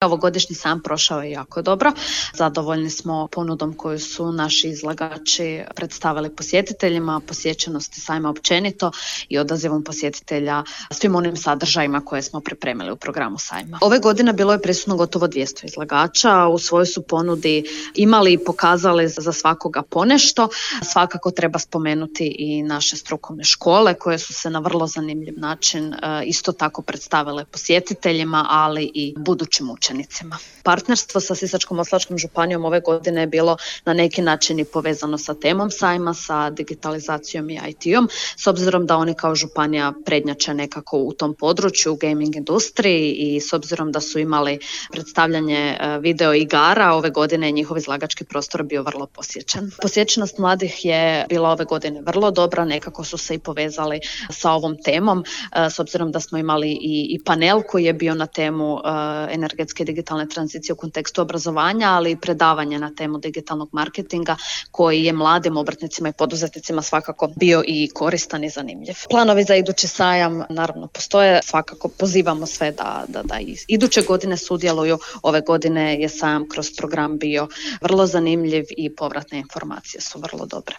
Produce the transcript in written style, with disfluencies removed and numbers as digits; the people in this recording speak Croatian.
Ovogodišnji sajam prošao je jako dobro. Zadovoljni smo ponudom koju su naši izlagači predstavili posjetiteljima, posjećenosti sajma općenito i odazivom posjetitelja svim onim sadržajima koje smo pripremili u programu sajma. Ove godine bilo je prisutno gotovo 200 izlagača, u svojoj su ponudi imali i pokazali za svakoga ponešto. Svakako treba spomenuti i naše strukovne škole koje su se na vrlo zanimljiv način isto tako predstavile posjetiteljima, ali i budućim učenicima. Partnerstvo sa Sisačko-moslavačkom županijom ove godine je bilo na neki način i povezano sa temom sajma, sa digitalizacijom i IT-om, s obzirom da oni kao županija prednjače nekako u tom području, u gaming industriji, i s obzirom da su imali predstavljanje video igara, ove godine je njihov izlagački prostor bio vrlo posjećen. Posjećenost mladih je bila ove godine vrlo dobra, nekako su se i povezali sa ovom temom, s obzirom da smo imali i panel koji je bio na temu energetske i digitalne tranzicije u kontekstu obrazovanja, ali i predavanje na temu digitalnog marketinga koji je mladim obrtnicima i poduzetnicima svakako bio i koristan i zanimljiv. Planovi za idući sajam naravno postoje, svakako pozivamo sve da iduće godine sudjeluju. Ove godine je sajam kroz program bio vrlo zanimljiv i povratne informacije su vrlo dobre.